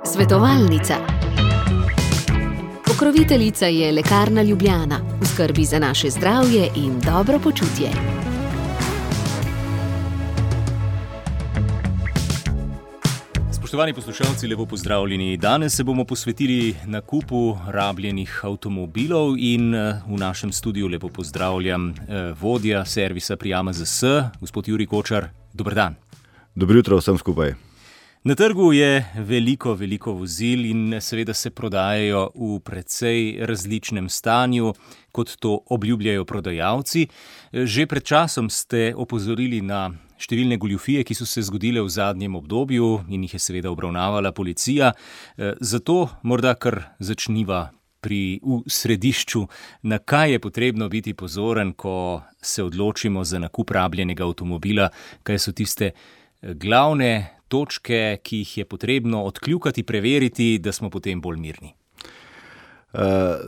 Svetovalnica. Pokroviteljica je Lekarna Ljubljana, v skrbi za naše zdravje in dobro počutje. Spoštovani poslušalci, lepo pozdravljeni. Danes se bomo posvetili nakupu rabljenih avtomobilov in v našem studiu lepo pozdravljam vodja servisa pri AMZS, gospod Jurij Kočar. Dober dan. Dobro jutro vsem skupaj. Na trgu je veliko vozil in seveda se prodajajo v precej različnem stanju, kot to obljubljajo prodajalci. Že pred časom ste opozorili na številne goljufije, ki so se zgodile v zadnjem obdobju in jih je seveda obravnavala policija. Zato morda kar začniva v središču, na kaj je potrebno biti pozoren, ko se odločimo za nakup rabljenega avtomobila, kaj so tiste glavne točke, ki jih je potrebno odkljukati, preveriti, da smo potem bolj mirni.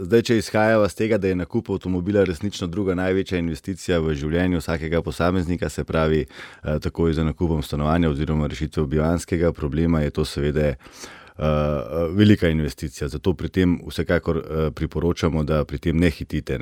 Zdaj, če izhajava z tega, da je nakup avtomobila resnično druga največja investicija v življenju vsakega posameznika, se pravi takoj za nakupom stanovanja oziroma rešitve bivanjskega problema, je to seveda velika investicija. Zato pri tem vsekakor priporočamo, da pri tem ne hitite.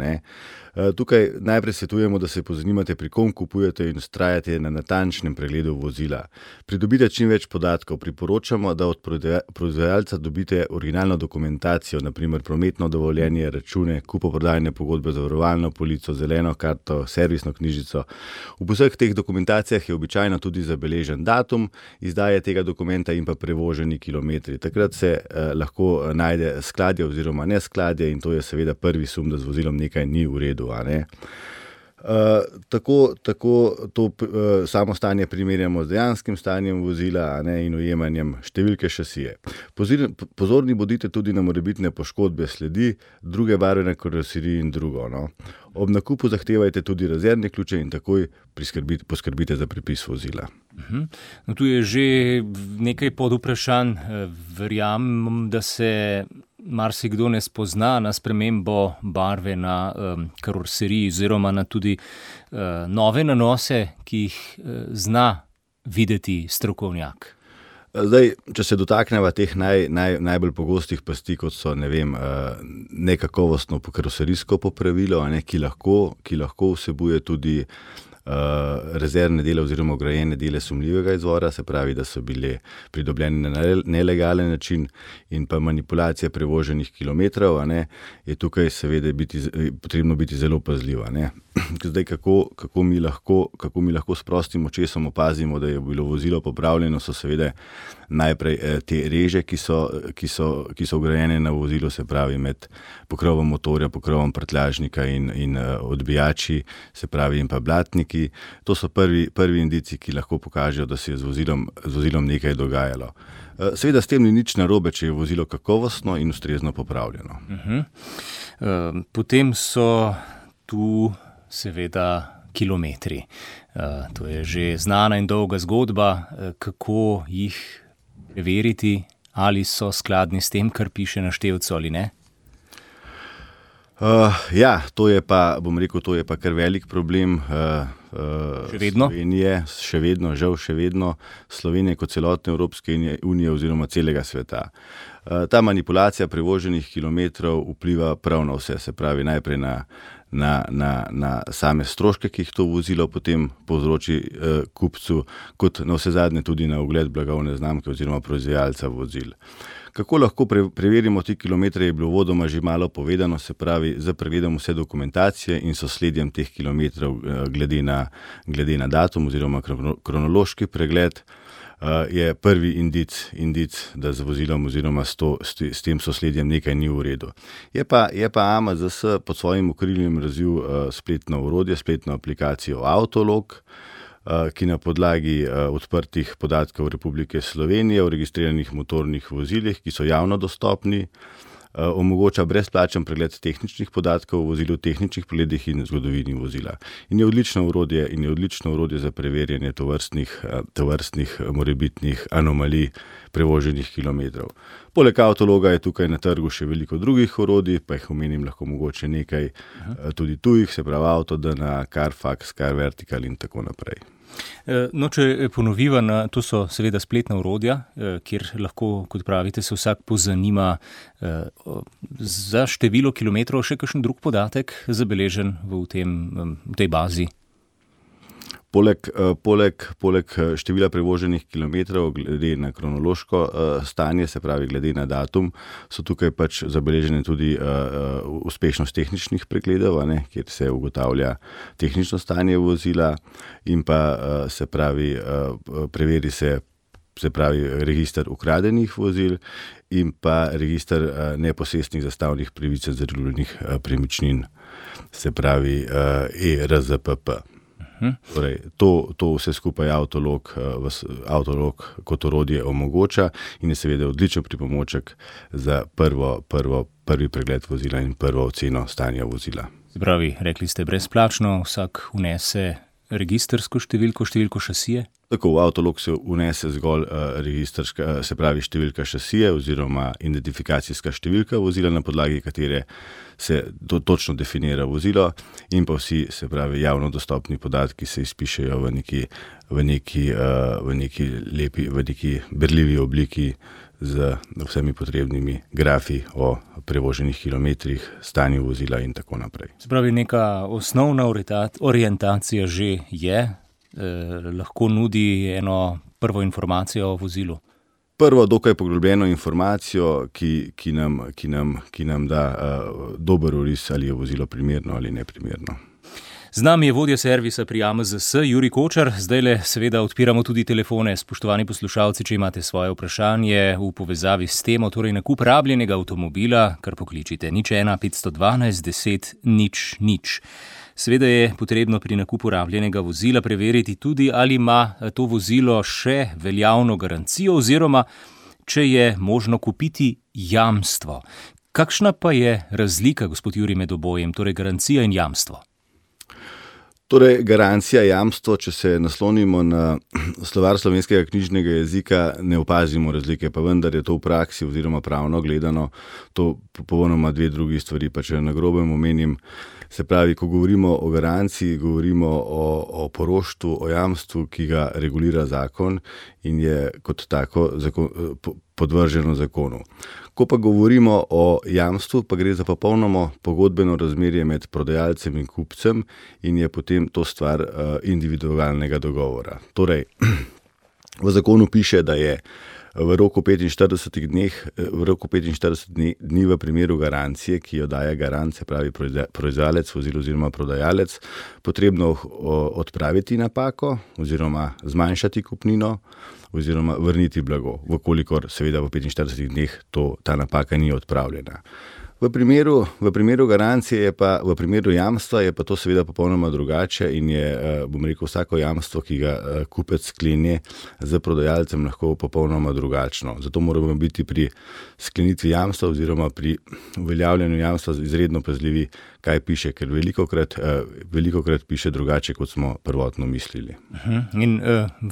Tukaj najprej svetujemo, da se pozanimate, pri kom kupujete in vztrajate na natančnem pregledu vozila. Pridobite čim več podatkov. Priporočamo, da od proizvajalca dobite originalno dokumentacijo, naprimer prometno dovoljenje, račune, kupoprodajne pogodbe, zavarovalno polico, zeleno karto, servisno knjižico. V vseh teh dokumentacijah je običajno tudi zabeležen datum izdaje tega dokumenta in pa prevoženi kilometri. Takrat se lahko najde skladje oziroma neskladje in to je seveda prvi sum, da z vozilom nekaj ni v redu. Tako to samo stanje primerjamo z dejanskim stanjem vozila in ujemanjem številke šasije. Pozorni bodite tudi na morebitne poškodbe sledi, druge barve na karoseriji in drugo. Ob nakupu zahtevajte tudi rezervne ključe in takoj poskrbite za pripis vozila. No, tu je že nekaj podvprašanj. Verjamem, da se marsikdo ne spozna na spremembo barve na karoseriji oziroma na tudi nove nanose, ki jih zna videti strokovnjak. Zdaj, če se dotakneva teh najbolj pogostih pasti, kot so nekakovostno karoserijsko popravilo, ki lahko vsebuje tudi rezervne dele oziroma vgrajene dele sumljivega izvora, se pravi, da so bile pridobljene na nelegalen način, in pa manipulacija prevoženih kilometrov, je tukaj seveda potrebno biti zelo pazljiv. Zdaj, kako mi lahko s prostim očesom opazimo, da je bilo vozilo popravljeno, so seveda najprej te reže, ki so vgrajene na vozilo, se pravi med pokrovom motorja, pokrovom prtljažnika in odbijači, se pravi in pa blatniki. To so prvi indici, ki lahko pokažejo, da se je z vozilom nekaj dogajalo. Seveda s tem ni nič narobe, če je vozilo kakovostno in ustrezno popravljeno. Potem so tu seveda kilometri. To je že znana in dolga zgodba, kako jih preveriti, ali so skladni s tem, kar piše na števcu ali ne. To je pa kar velik problem. Še vedno? Slovenije, žal še vedno, Slovenije kot celotne Evropske unije oziroma celega sveta. Ta manipulacija prevoženih kilometrov vpliva prav na vse, se pravi najprej na same stroške, ki jih to vozilo potem povzroči kupcu, kot na vse zadnje tudi na ugled blagovne znamke oziroma proizvajalca vozil. Kako lahko preverimo te kilometre, je bilo uvodoma že malo povedano, se pravi z pregledom vse dokumentacije in sosledjem teh kilometrov glede na datum oziroma kronološki pregled je prvi indic, da z vozilom oziroma s tem sosledjem nekaj ni v redu. Je pa AMZS pod svojim okriljem razvil spletno orodje, spletno aplikacijo Autolog, ki na podlagi odprtih podatkov Republike Slovenije o registriranih motornih vozilih, ki so javno dostopni, omogoča brezplačen pregled tehničnih podatkov o vozilu, tehničnih pregledih in zgodovini vozila. In je odlično orodje za preverjanje tovrstnih morebitnih anomalij prevoženih kilometrov. Poleg Autologa je tukaj na trgu še veliko drugih orodij, pa jih omenim lahko mogoče nekaj tudi tujih, se pravi Autodena, Carfax, Carvertical in tako naprej. No, če ponoviva, to so seveda spletna orodja, kjer lahko, kot pravite, se vsak pozanima za število kilometrov, še kakšen drug podatek zabeležen v tej bazi. Poleg števila prevoženih kilometrov, glede na kronološko stanje, se pravi glede na datum, so tukaj pač zabeležene tudi uspešnost tehničnih pregledov, kjer se ugotavlja tehnično stanje vozila in pa se pravi preveri se register ukradenih vozil in pa register neposestnih zastavnih pravic zaradi premičnin, se pravi ERZPP. Torej, to vse skupaj avtolog kot orodje omogoča in je seveda odličen pripomoček za prvi pregled vozila in prvo oceno stanja vozila. Se pravi, rekli ste brezplačno, vsak vnese registrsko številko šasije? Tako, v avtolog se vnese zgolj registrska, se pravi številka šasije oziroma identifikacijska številka vozila, na podlagi katere se točno definira vozilo in pa vsi, se pravi, javno dostopni podatki se izpišejo v neki berljivi obliki z vsemi potrebnimi grafi o prevoženih kilometrih, stanju vozila in tako naprej. Se pravi, neka osnovna orientacija že je, lahko nudi eno prvo informacijo o vozilu. Prvo, dokaj poglobljeno informacijo, ki nam da dober oris, ali je vozilo primerno ali neprimerno. Z nami je vodja servisa pri AMZS, Jurij Kočar. Zdajle seveda odpiramo tudi telefone. Spoštovani poslušalci, če imate svoje vprašanje v povezavi s temo, torej nakup rabljenega avtomobila, kar pokličite 01 512 10 00. Seveda je potrebno pri nakupu rabljenega vozila preveriti tudi, ali ima to vozilo še veljavno garancijo oziroma če je možno kupiti jamstvo. Kakšna pa je razlika, gospod Jurij, med obojem, torej garancija in jamstvo? Torej, garancija, jamstvo, če se naslonimo na slovar slovenskega knjižnega jezika, ne opazimo razlike, pa vendar je to v praksi oziroma pravno gledano to popolnoma dve drugi stvari, pa če na grobem omenim. Se pravi, ko govorimo o garanciji, govorimo o poroštvu, o jamstvu, ki ga regulira zakon in je kot tako podvrženo zakonu. Ko pa govorimo o jamstvu, pa gre za popolnoma pogodbeno razmerje med prodajalcem in kupcem in je potem to stvar individualnega dogovora. Torej, v zakonu piše, da je v roku 45 dni v primeru garancije, ki jo daje garant, se pravi proizvajalec vozila oziroma prodajalec, potrebno odpraviti napako oziroma zmanjšati kupnino oziroma vrniti blago, vkolikor seveda v 45 dneh ta napaka ni odpravljena. V primeru garancije v primeru jamstva je pa to seveda popolnoma drugače in je, bom rekel, vsako jamstvo, ki ga kupec sklene z prodajalcem, lahko popolnoma drugačno. Zato moramo biti pri sklenitvi jamstva oziroma pri uveljavljanju jamstva izredno pazljivi, kaj piše, ker velikokrat piše drugače, kot smo prvotno mislili. In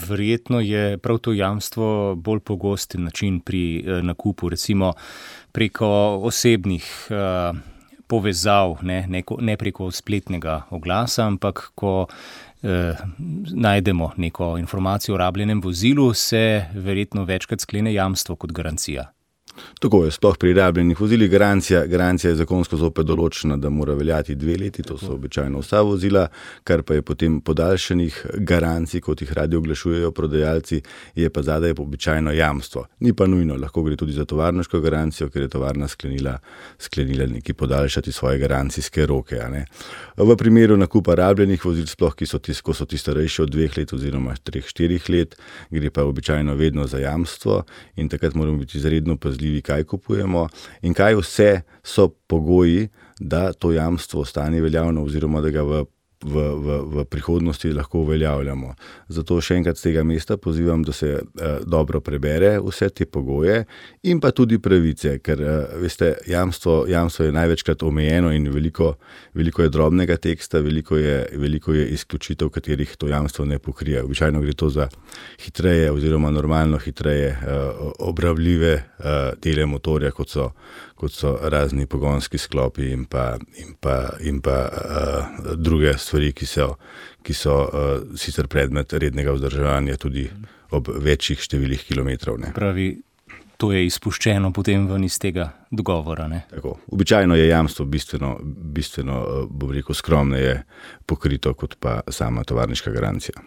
verjetno je prav to jamstvo bolj pogost način pri nakupu, recimo preko osebnih povezav, ne preko spletnega oglasa, ampak ko najdemo neko informacijo o rabljenem vozilu, se verjetno večkrat sklene jamstvo kot garancija. Tako je, sploh pri rabljenih vozilih. Garancija je zakonsko zopet določena, da mora veljati 2 leti, to so običajno vsa vozila, kar pa je potem podaljšanih garancij, kot jih radi oglašujejo prodajalci, je pa zadaj običajno jamstvo. Ni pa nujno, lahko gre tudi za tovarniško garancijo, ker je tovarna sklenila neki podaljšati svoje garancijske roke. V primeru nakupa rabljenih vozil, sploh ko so ti starejši od 2 let oziroma 3-4 let, gre pa običajno vedno za jamstvo in takrat moramo biti izredno pazljivi, kaj kupujemo in kaj vse so pogoji, da to jamstvo ostane veljavno oziroma da ga v prihodnosti lahko uveljavljamo. Zato še enkrat z tega mesta pozivam, da se dobro prebere vse te pogoje in pa tudi pravice, ker veste, jamstvo je največkrat omejeno in veliko je drobnega teksta, veliko je izključitev, katerih to jamstvo ne pokrije. Običajno gre to za hitreje oziroma normalno hitreje obrabljive dele motorja, kot kot so razni pogonski sklopi in pa druge stvari, ki so sicer predmet rednega vzdrževanja tudi ob večjih številih kilometrov. Ne. Pravi, to je izpuščeno potem ven iz tega dogovora. Ne? Tako. Običajno je jamstvo bistveno bom rekel, skromneje pokrito kot pa sama tovarniška garancija.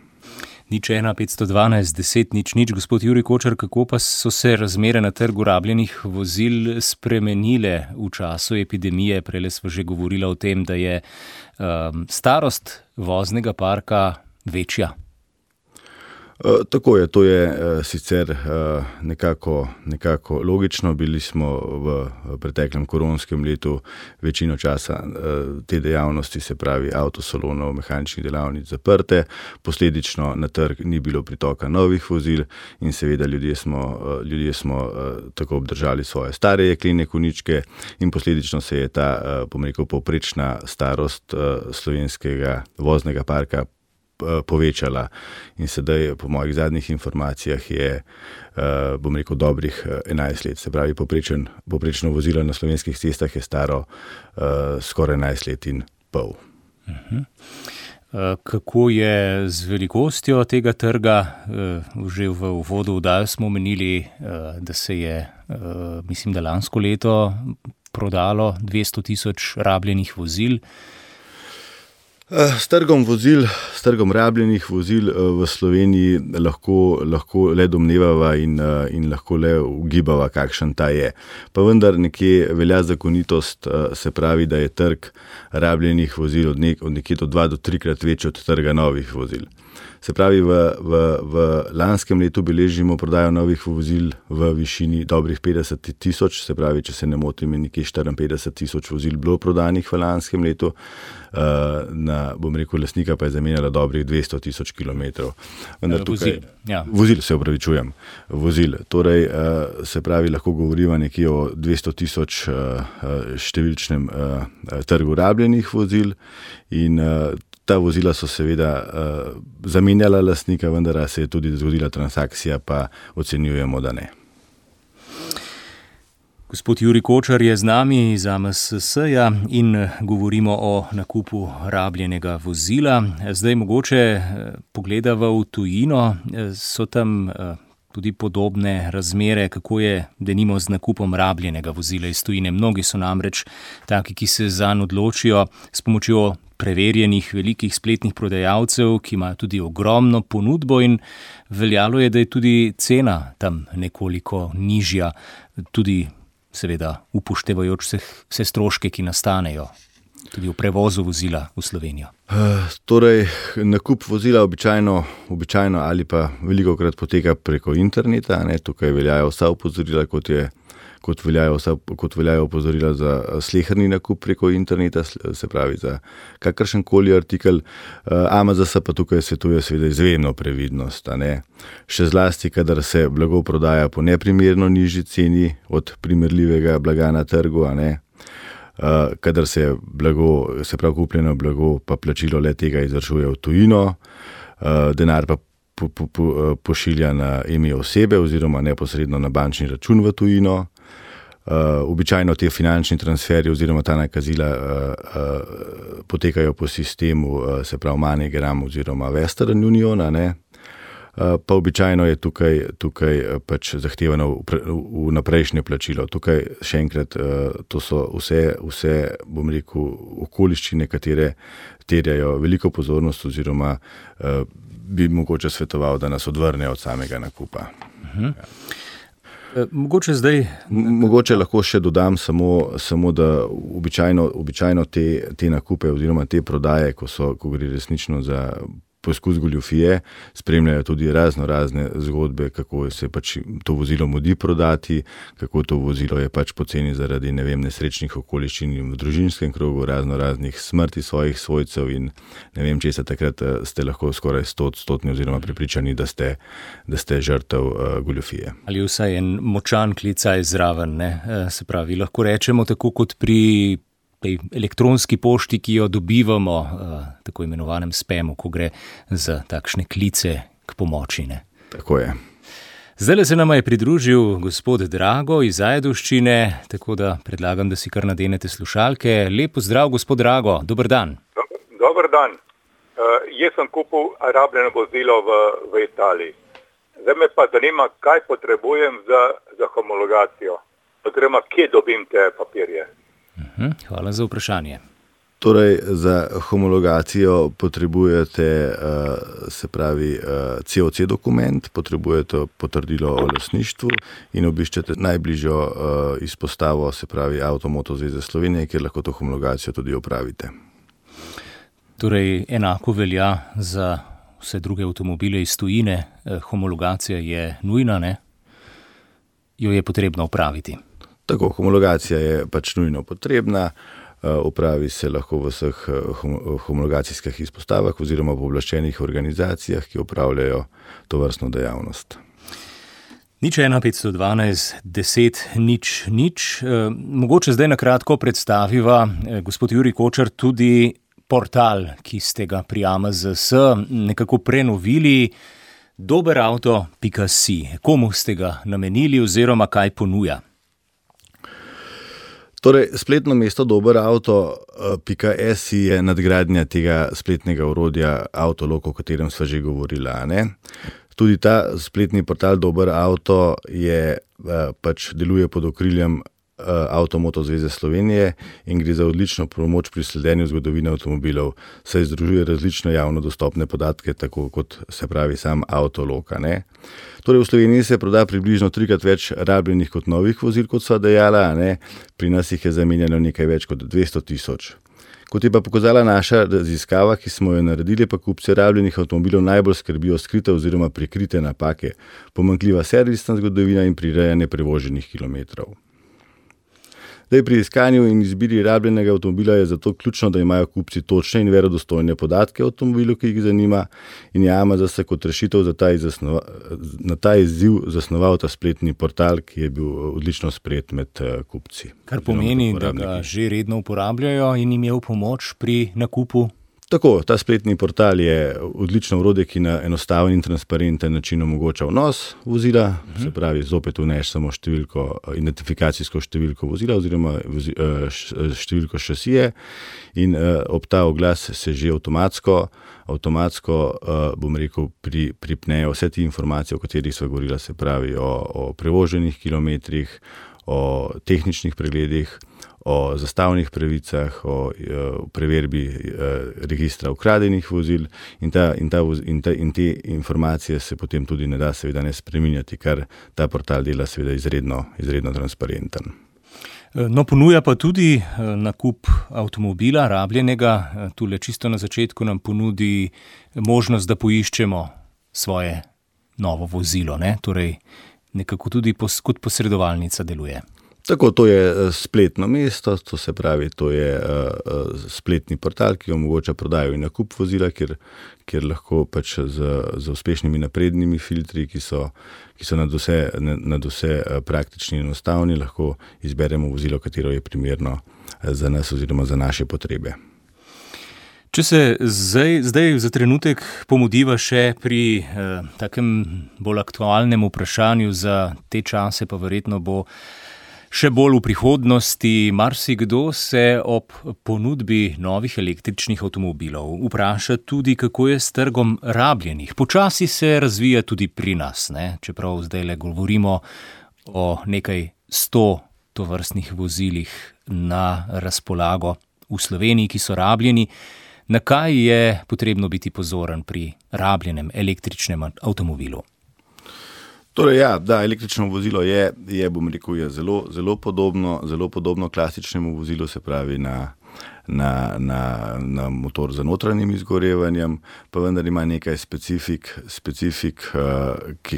01 512 10 00. Gospod Jurij Kočar, kako pa so se razmere na trgu rabljenih vozil spremenile v času epidemije? Prejle smo že govorili o tem, da je starost voznega parka večja. Tako je, to je sicer nekako logično. Bili smo v preteklem koronskem letu večino časa te dejavnosti, se pravi avtosalonov, mehaničnih delavnic zaprte, posledično na trg ni bilo pritoka novih vozil in seveda ljudje smo tako obdržali svoje stare jeklene konjičke in posledično se je ta, povprečna starost slovenskega voznega parka povečala in sedaj po mojih zadnjih informacijah je, dobrih 11 let. Se pravi, povprečno vozilo na slovenskih cestah je staro skoraj 11 let in pol. Kako je z velikostjo tega trga? Že v uvodu oddaje smo omenili, da se je, mislim, da lansko leto prodalo 200 000 rabljenih vozil. S trgom rabljenih vozil v Sloveniji lahko le domnevava in lahko le ugibava, kakšen ta je. Pa vendar nekje velja zakonitost, se pravi, da je trg rabljenih vozil od nekje do 2 do 3-krat večji od trga novih vozil. Se pravi, v lanskem letu beležimo prodajo novih vozil v višini dobrih 50 000, se pravi, če se ne motim, je nekje 54 000 vozil bilo prodanih v lanskem letu, lastnika pa je zamenjala dobrih 200 000 kilometrov. Vozil, se opravičujem. Vozil. Torej, se pravi, lahko govorimo nekje o 200 000 številčnem trgu rabljenih vozil in ta vozila so seveda zamenjala lastnika, vendar se je tudi zgodila transakcija, pa ocenjujemo, da ne. Gospod Jurij Kočar je z nami iz AMSS-ja in govorimo o nakupu rabljenega vozila. Zdaj mogoče pogledava v tujino, so tam tudi podobne razmere, kako je denimo z nakupom rabljenega vozila iz tujine. Mnogi so namreč taki, ki se zanj odločijo s pomočjo preverjenih velikih spletnih prodajalcev, ki imajo tudi ogromno ponudbo in veljalo je, da je tudi cena tam nekoliko nižja, tudi seveda upoštevajoč vse stroške, ki nastanejo tudi v prevozu vozila v Slovenijo. Torej, nakup vozila običajno ali pa velikokrat poteka preko interneta, ne, tukaj veljajo vsa opozorila, kot veljajo opozorila za sleherni nakup preko interneta, se pravi za kakršenkoli artikel. AMZS pa tukaj svetuje seveda izjemno previdnost, ne. Še zlasti, kadar se blago prodaja po neprimerno nižji ceni od primerljivega blaga na trgu, ne. Kadar se blago, se pravi kupljeno blago, pa plačilo le tega izvršuje v tujino, denar pa pošilja na ime osebe oziroma neposredno na bančni račun v tujino. Običajno te finančni transferji oziroma ta nakazila potekajo po sistemu, se pravi MoneyGram oziroma Western Union, ne. Pa običajno je tukaj pač zahtevano vnaprejšnje plačilo. Tukaj še enkrat, to so vse okoliščine, katere terjajo veliko pozornost oziroma bi mogoče svetoval, da nas odvrnejo od samega nakupa. Mogoče lahko še dodam samo da običajno te nakupe oziroma te prodaje, ko gre resnično za poskus goljufije, spremljajo tudi razne zgodbe, kako se pač to vozilo mudi prodati, kako to vozilo je pač poceni zaradi, nesrečnih okoliščin v družinskem krogu, raznih smrti svojih svojcev in česa takrat ste lahko skoraj 100% oziroma prepričani, da ste žrtev goljufije. Ali vsaj en močan klicaj zraven, ne? Se pravi, lahko rečemo tako kot pri tej elektronski pošti, ki jo dobivamo, tako imenovanem spamu, ko gre za takšne klice k pomoči. Ne? Tako je. Zdaj se nama je pridružil gospod Drago iz Ajdovščine, tako da predlagam, da si kar nadenete slušalke. Lep pozdrav, gospod Drago, dober dan. Dober dan. Jaz sem kupil rabljeno vozilo v Italiji. Zdaj me pa zanima, kaj potrebujem za homologacijo. Oziroma, kje dobim te papirje? Hvala za vprašanje. Torej, za homologacijo potrebujete, COC dokument, potrebujete potrdilo o lastništvu in obiščete najbližjo izpostavo, se pravi Avto-Moto zveze Slovenije, kjer lahko to homologacijo tudi opravite. Torej, enako velja za vse druge avtomobile iz tujine. Homologacija je nujna, ne? Jo je potrebno opraviti. Tako, homologacija je pač nujno potrebna. Opravi se lahko v vseh homologacijskih izpostavah oziroma pooblaščenih organizacijah, ki opravljajo tovrstno dejavnost. 01 512 10 0 0. Mogoče zdaj na kratko predstaviva, gospod Jurij Kočar, tudi portal, ki ste ga pri AMZS nekako prenovili, doberauto.si. Komu ste ga namenili oziroma kaj ponuja? Torej, spletno mesto doberauto.si je nadgradnja tega spletnega orodja Autolog, o katerem sva že govorila, ne? Tudi ta spletni portal Dober Auto deluje pod okriljem Avto-Moto zveze Slovenije in gre za odlično pomoč pri sledenju zgodovine avtomobilov, saj združuje različne javno dostopne podatke, tako kot se pravi sam Autolog, ne? Torej, v Sloveniji se proda približno 3-krat več rabljenih kot novih vozil, kot sva dejala, ne? Pri nas jih je zamenjano nekaj več kot 200 000. Kot je pa pokazala naša raziskava, ki smo jo naredili, pa kupci rabljenih avtomobilov najbolj skrbijo skrite oziroma prikrite napake, pomanjkljiva servisna zgodovina in prirejanje prevoženih kilometrov. Zdaj, pri iskanju in izbiri rabljenega avtomobila je zato ključno, da imajo kupci točne in verodostojne podatke o avtomobilu, ki jih zanima, in je AMZS kot rešitev na ta izziv zasnoval ta spletni portal, ki je bil odlično sprejet med kupci. Kar pomeni, da ga že redno uporabljajo in jim je v pomoč pri nakupu? Tako, ta spletni portal je odlično orodje, ki na enostaven in transparenten način omogoča vnos vozila, se pravi, zopet vneš samo identifikacijsko številko vozila oziroma številko šasije in ob ta oglas se že avtomatsko pripnejo vse te informacije, o katerih sva govorila, se pravi o prevoženih kilometrih, o tehničnih pregledih, o zastavnih pravicah, o preverbi registra ukradenih vozil in te informacije se potem tudi ne da seveda ne spreminjati, kar ta portal dela seveda izredno transparenten. No, ponuja pa tudi nakup avtomobila rabljenega. Tule čisto na začetku nam ponudi možnost, da poiščemo svoje novo vozilo, ne? Torej nekako tudi kot posredovalnica deluje. Tako, to je spletno mesto, to se pravi, to je spletni portal, ki omogoča prodajo in nakup vozila, kjer lahko pač z uspešnimi naprednimi filtri, ki so nadvse praktični in enostavni, lahko izberemo vozilo, katero je primerno za nas oziroma za naše potrebe. Če se zdaj za trenutek pomudiva še pri takem bolj aktualnem vprašanju za te čase, pa verjetno bo še bolj v prihodnosti, marsikdo se ob ponudbi novih električnih avtomobilov vpraša tudi, kako je s trgom rabljenih. Počasi se razvija tudi pri nas, ne? Čeprav zdaj govorimo o nekaj 100 tovrstnih vozilih na razpolago v Sloveniji, ki so rabljeni. Na kaj je potrebno biti pozoren pri rabljenem električnem avtomobilu? Torej, ja, da, električno vozilo je zelo podobno klasičnemu vozilu, se pravi na motor z notranjim izgorevanjem, pa vendar ima nekaj specifik,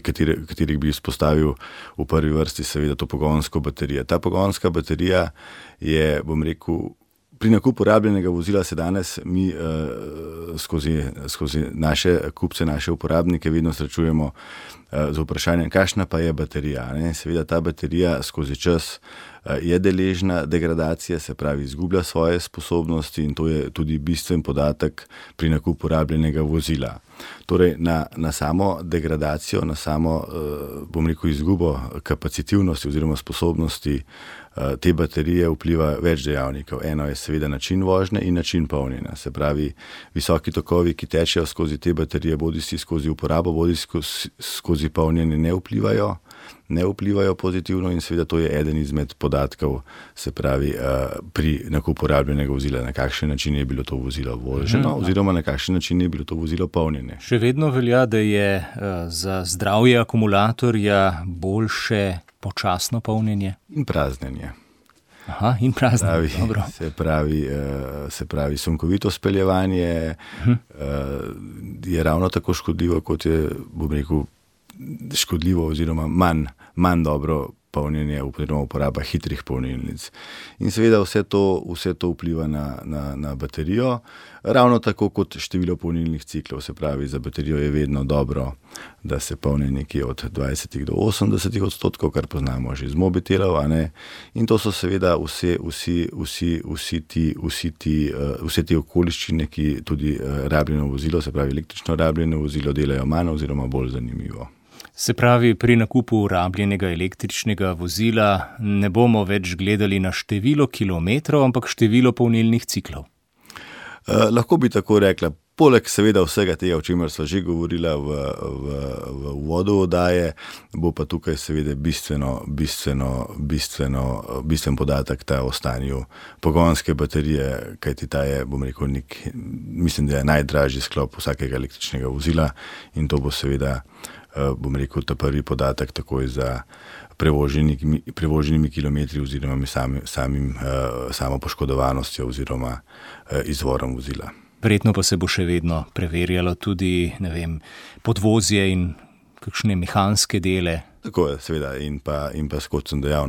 katerih bi izpostavil v prvi vrsti seveda to pogonsko baterijo. Ta pogonska baterija je, pri nakupu rabljenega vozila se danes mi skozi naše kupce, naše uporabnike vedno srečujemo z vprašanjem, kakšna pa je baterija. Ne? Seveda ta baterija skozi čas je deležna degradacije, se pravi izgublja svoje sposobnosti in to je tudi bistven podatek pri nakupu rabljenega vozila. Torej na samo degradacijo, na samo, bom rekel, izgubo kapacitivnosti oziroma sposobnosti te baterije vpliva več dejavnikov. Eno je seveda način vožnje in način polnjenja. Se pravi, visoki tokovi, ki tečejo skozi te baterije, bodisi skozi uporabo, bodisi skozi polnjenje, ne vplivajo pozitivno in seveda to je eden izmed podatkov, se pravi, pri nakupu rabljenega vozila, na kakšen način je bilo to vozilo voženo oziroma na kakšen način je bilo to vozilo polnjene. Še vedno velja, da je za zdravje akumulatorja boljše počasno polnjenje? In praznjenje. Aha, in praznjenje, dobro. Se pravi, sunkovito speljevanje je ravno tako škodljivo, kot je, bom rekel, škodljivo oziroma manj dobro polnjenje oziroma uporaba hitrih polnilnic. In seveda vse to vpliva na baterijo, ravno tako kot število polnilnih ciklov. Se pravi, za baterijo je vedno dobro, da se polni nekje od 20 do 80%, kar poznamo že iz mobitelov, a ne? In to so seveda vse te okoliščine, ki tudi rabljeno vozilo, se pravi električno rabljeno vozilo, delajo manj oziroma bolj zanimivo. Se pravi, pri nakupu rabljenega električnega vozila ne bomo več gledali na število kilometrov, ampak število polnilnih ciklov. Lahko bi tako rekla. Poleg seveda vsega tega, o čemer sva že govorila v uvodu oddaje, bo pa tukaj seveda bistven podatek ta o stanju pogonske baterije, kajti ta je, bom rekel, mislim, da je najdražji sklop vsakega električnega vozila in to bo seveda, bom rekel, ta prvi podatek takoj za prevoženimi kilometri oziroma samo poškodovanostjo oziroma izvorom vozila. Verjetno pa se bo še vedno preverjalo tudi, ne vem, podvozje in kakšne mehanske dele. Tako je, seveda, in pa kot sem dejal,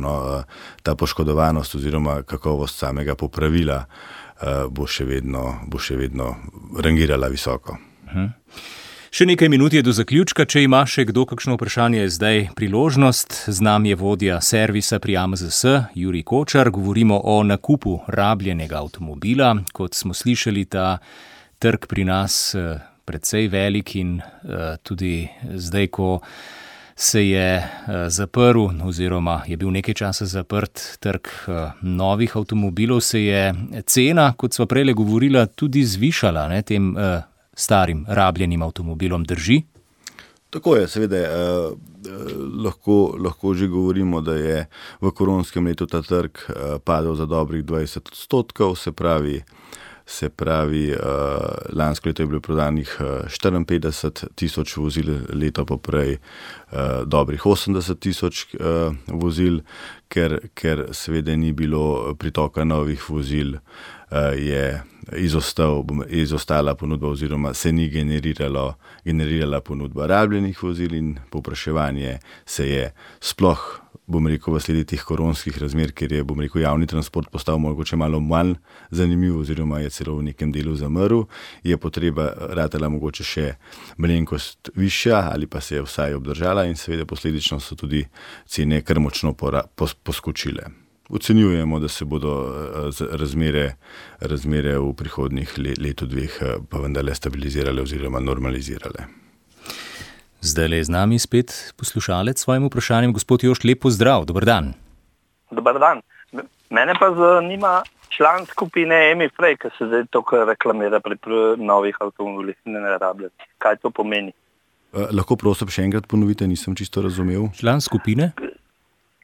ta poškodovanost oziroma kakovost samega popravila bo še vedno rangirala visoko. Še nekaj minut je do zaključka. Če ima še kdo kakšno vprašanje, je zdaj priložnost. Z nami je vodja servisa pri AMZS, Jurij Kočar. Govorimo o nakupu rabljenega avtomobila. Kot smo slišali, ta trg pri nas precej velik in tudi zdaj, ko se je zaprl oziroma je bil nekaj časa zaprt trg novih avtomobilov, se je cena, kot sva prejle govorila, tudi zvišala, ne, tem starim rabljenim avtomobilom, drži? Tako je, seveda lahko že govorimo, da je v koronskem letu ta trg padel za dobrih 20%, se pravi, lansko leto je bilo prodanih 54,000 vozil, leto poprej dobrih 80,000 vozil, ker seveda ni bilo pritoka novih vozil, je izostala ponudba oziroma se ni generirala ponudba rabljenih vozil in povpraševanje se je sploh, bom rekel, v sledi teh koronskih razmer, ker je, bom rekel, javni transport postal mogoče malo manj zanimiv oziroma je celo v nekem delu zamrl, je potreba ratala mogoče še malenkost višja ali pa se je vsaj obdržala in seveda posledično so tudi cene kar močno poskočile. Ocenjujemo, da se bodo razmere v prihodnjih letu dveh pa vendarle stabilizirale oziroma normalizirale. Zdaj je z nami spet poslušalec s svojim vprašanjem. Gospod Jošt, lep pozdrav, dober dan. Dober dan. Mene pa zanima član skupine EMI Frey, ki se zdaj tukaj reklamira pri novih avtomobilih nerabljenih. Kaj to pomeni? Lahko prosim še enkrat ponovite, nisem čisto razumel. Član skupine?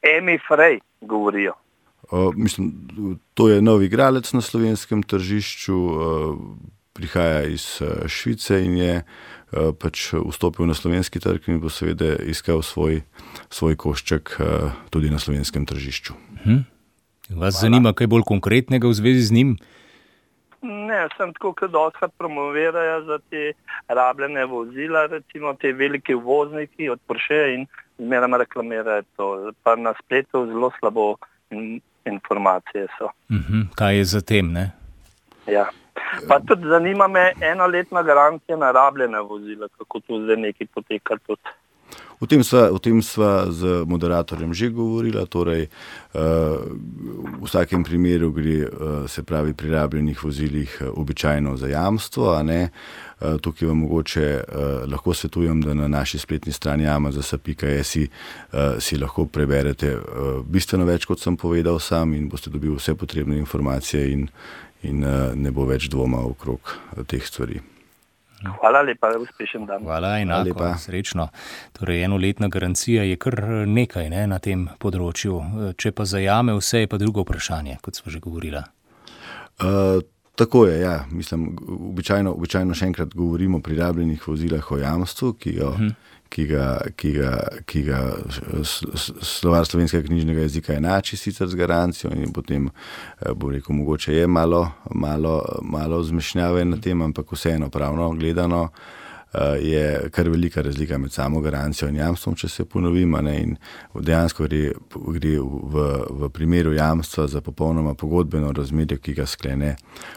EMI Frey govorijo. Mislim, to je nov igralec na slovenskem tržišču, prihaja iz Švice in je pač vstopil na slovenski trg in bo seveda iskal svoj košček tudi na slovenskem tržišču. Vas zanima kaj bolj konkretnega v zvezi z njim? Ne, sem tako, kot dostakrat promovirajo za te rabljene vozila, recimo te velike uvozniki od Porsche in zmeraj reklamirajo to. Pa na spletu zelo slabo informacije so. Kaj je za tem, ne? Ja. Pa tudi zanima me enoletna garancija na rabljene vozila, kako to zdaj nekaj poteka tudi. O tem sva z moderatorjem že govorila, torej v vsakem primeru gre, se pravi, pri rabljenih vozilih običajno za jamstvo, a ne. Tukaj vam mogoče lahko svetujem, da na naši spletni strani amazasa.es si lahko preberete bistveno več, kot sem povedal sam, in boste dobili vse potrebne informacije in ne bo več dvoma okrog teh stvari. Hvala lepa, uspešen dan. Hvala, enako, srečno. Torej, enoletna garancija je kar nekaj, ne, na tem področju. Če pa zajame vse, je pa drugo vprašanje, kot smo že govorila. Tako je, ja. Mislim, običajno še enkrat govorimo pri rabljenih vozilah o jamstvu, ki ga Slovar slovenskega knjižnega jezika enači sicer z garancijo in potem, bom rekel, mogoče je malo zmešnjave na tem, ampak vseeno pravno gledano je kar velika razlika med samo garancijo in jamstvom, če se ponovim, in dejansko gre v primeru jamstva za popolnoma pogodbeno razmerje, ki ga sklene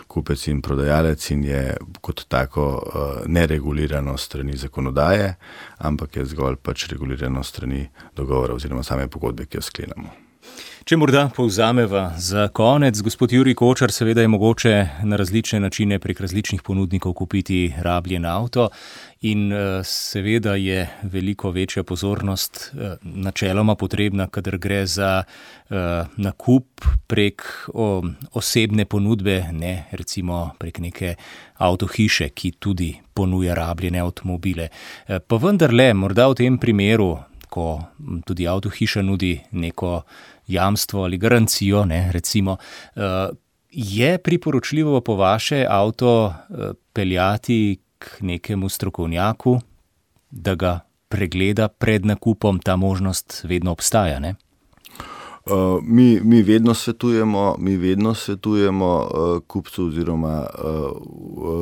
kupec in prodajalec in je kot tako neregulirano strani zakonodaje, ampak je zgolj pač regulirano strani dogovora oziroma same pogodbe, ki jo sklenemo. Če morda povzameva za konec, gospod Jurij Kočar, seveda je mogoče na različne načine prek različnih ponudnikov kupiti rabljen avto in seveda je veliko večja pozornost načeloma potrebna, kadar gre za nakup prek osebne ponudbe, ne recimo prek neke avtohiše, ki tudi ponuja rabljene avtomobile. Pa vendarle, morda v tem primeru, ko tudi avtohiša nudi neko jamstvo ali garancijo, ne, recimo, je priporočljivo po vaše avto peljati k nekemu strokovnjaku, da ga pregleda pred nakupom, ta možnost vedno obstaja, ne? Mi vedno svetujemo kupcu oziroma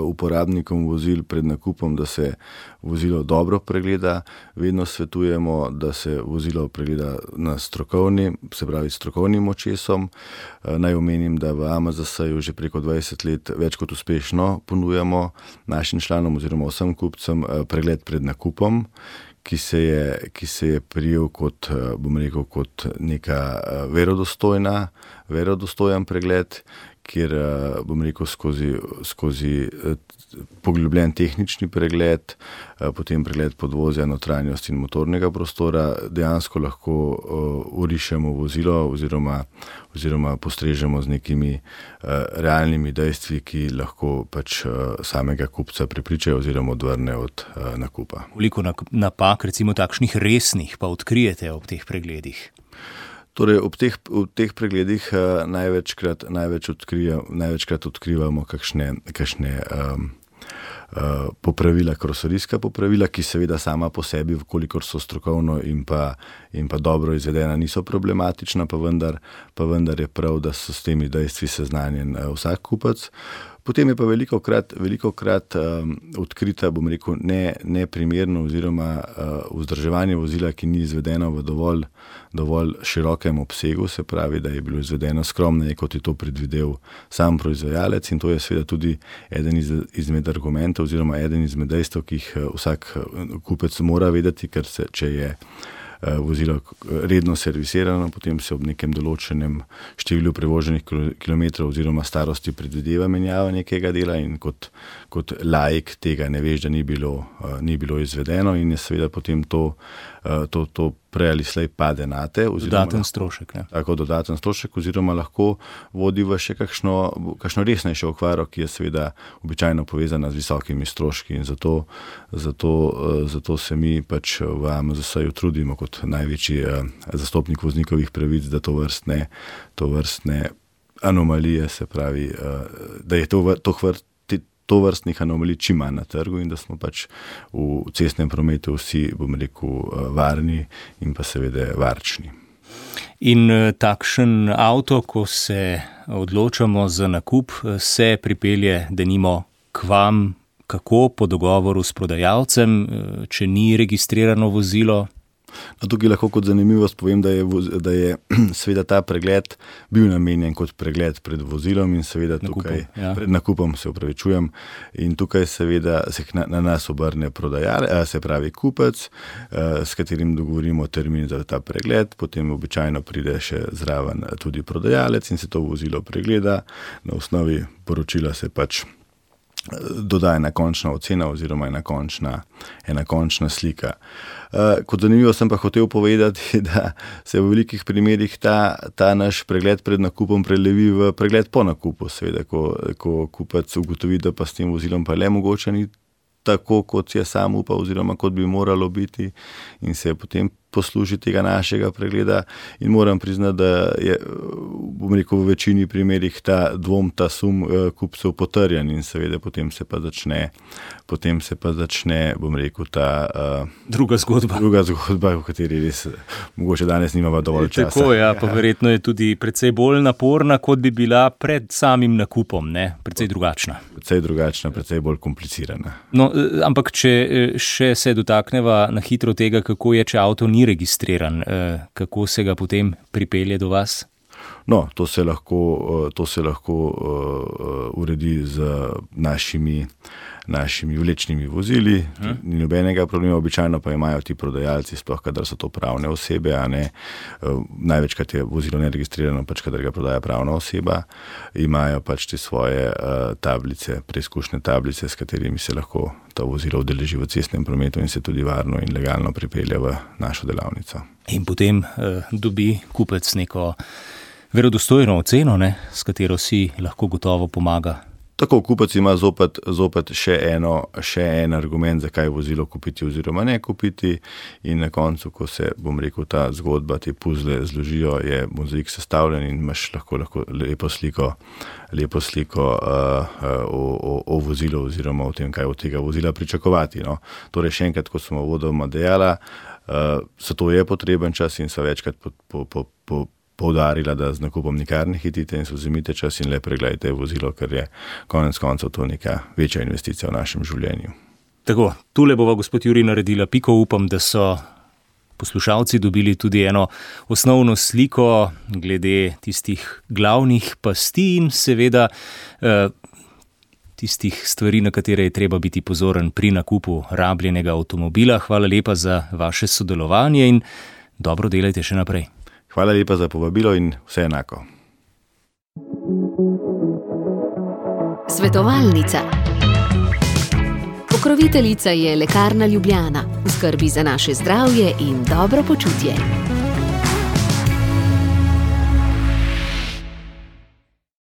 uporabnikom vozil pred nakupom, da se vozilo dobro pregleda. Vedno svetujemo, da se vozilo pregleda na strokovnim očesom. Naj omenim, da v Amazasaju že preko 20 let več kot uspešno ponujamo našim članom oziroma vsem kupcem pregled pred nakupom, ki se je prijel kot, bom rekel, kot neka verodostojen pregled, kjer, bom rekel, skozi poglobljen tehnični pregled, potem pregled podvozja, notranjosti in motornega prostora dejansko lahko orišemo vozilo oziroma postrežemo z nekimi realnimi dejstvi, ki lahko pač samega kupca prepričajo oziroma odvrne od nakupa. Koliko napak, recimo takšnih resnih, pa odkrijete ob teh pregledih? Torej, ob teh pregledih največkrat odkrivamo kakšne popravila, karoserijska popravila, ki seveda sama po sebi, kolikor so strokovno in pa dobro izvedena, niso problematična, pa vendar je prav, da so s temi dejstvi seznanjen vsak kupec. Potem je pa velikokrat odkrita, bom rekel, neprimerno oziroma vzdrževanje vozila, ki ni izvedeno v dovolj širokem obsegu, se pravi, da je bilo izvedeno skromneje, kot je to predvidel sam proizvajalec, in to je seveda tudi eden izmed argumentov oziroma eden izmed dejstev, ki jih vsak kupec mora vedeti, ker če je vozilo redno servisirano, potem se ob nekem določenem številu prevoženih kilometrov oziroma starosti predvideva menjava nekega dela in kot laik tega ne veš, da ni bilo izvedeno in je seveda potem to prej ali slej pade nate. Dodaten strošek. Ne? Tako, dodaten strošek oziroma lahko vodi v še kakšno resnejšo okvaro, ki je seveda običajno povezana z visokimi stroški in zato se mi pač v Amazasaju trudimo kot največji zastopnik voznikovih pravic, da tovrstne anomalije, se pravi, da je tovrstnih anomalij čim manj na trgu in da smo pač v cestnem prometu vsi, bom rekel, varni in pa seveda varčni. In takšen avto, ko se odločamo za nakup, se pripelje denimo k vam, kako po dogovoru s prodajalcem, če ni registrirano vozilo? Tukaj lahko kot zanimivost povem, da je seveda ta pregled bil namenjen kot pregled pred vozilom in seveda tukaj pred nakupom, se opravičujem, in tukaj seveda se na nas obrne se pravi kupec, s katerim dogovorimo termin za ta pregled, potem običajno pride še zraven tudi prodajalec in se to vozilo pregleda, na osnovi poročila se pač dodaja ena končna ocena oziroma ena končna slika. Kot zanimivo sem pa hotel povedati, da se v velikih primerih ta naš pregled pred nakupom prelevi v pregled po nakupu, seveda, ko kupec ugotovi, da pa s tem vozilom pa le mogoče ni tako, kot je sam upal oziroma kot bi moralo biti, in se potem posluži tega našega pregleda, in moram priznati, da je, bom rekel, v večini primerih ta dvom, ta sum kupcev potrjen in seveda potem se pa začne, bom rekel, ta druga zgodba, v kateri res mogoče danes nimamo dovolj časa. Tako, pa verjetno je tudi precej bolj naporna, kot bi bila pred samim nakupom, ne? Precej drugačna. Precej bolj komplicirana. No, ampak če še se dotakneva na hitro tega, kako je, če avto ni registriran, kako se ga potem pripelje do vas? No, to se lahko uredi z našimi vlečnimi vozili, ni nobenega problema, običajno pa imajo ti prodajalci, sploh kadar so to pravne osebe, a ne, največkrat je vozilo neregistrirano, pač kadar ga prodaja pravna oseba, imajo pač te svoje tablice, preizkušnje tablice, s katerimi se lahko to vozilo udeleži v cestnem prometu in se tudi varno in legalno pripelje v našo delavnico. In potem dobi kupec neko verodostojno oceno, ne, s katero si lahko gotovo pomaga. Tako, kupec ima zopet še en argument, zakaj vozilo kupiti oziroma ne kupiti, in na koncu, ko se, bom rekel, ta zgodba, te puzle zložijo, je mozaik sestavljen in imaš lahko lepo sliko o vozilu oziroma o tem, kaj od tega vozila pričakovati. No. Torej, še enkrat, kot smo uvodoma dejala, za to je potreben čas in so večkrat poudarila, da z nakupom nikar ne hitite in se vzemite čas in le pregledajte vozilo, ker je konec koncev to neka večja investicija v našem življenju. Tako, tule bova, gospod Jurij, naredila piko. Upam, da so poslušalci dobili tudi eno osnovno sliko glede tistih glavnih pasti in seveda tistih stvari, na katere je treba biti pozoren pri nakupu rabljenega avtomobila. Hvala lepa za vaše sodelovanje in dobro delajte še naprej. Hvala lepa za povabilo in vse enako. Svetovalnica. Pokroviteljica je Lekarna Ljubljana, v skrbi za naše zdravje in dobro počutje.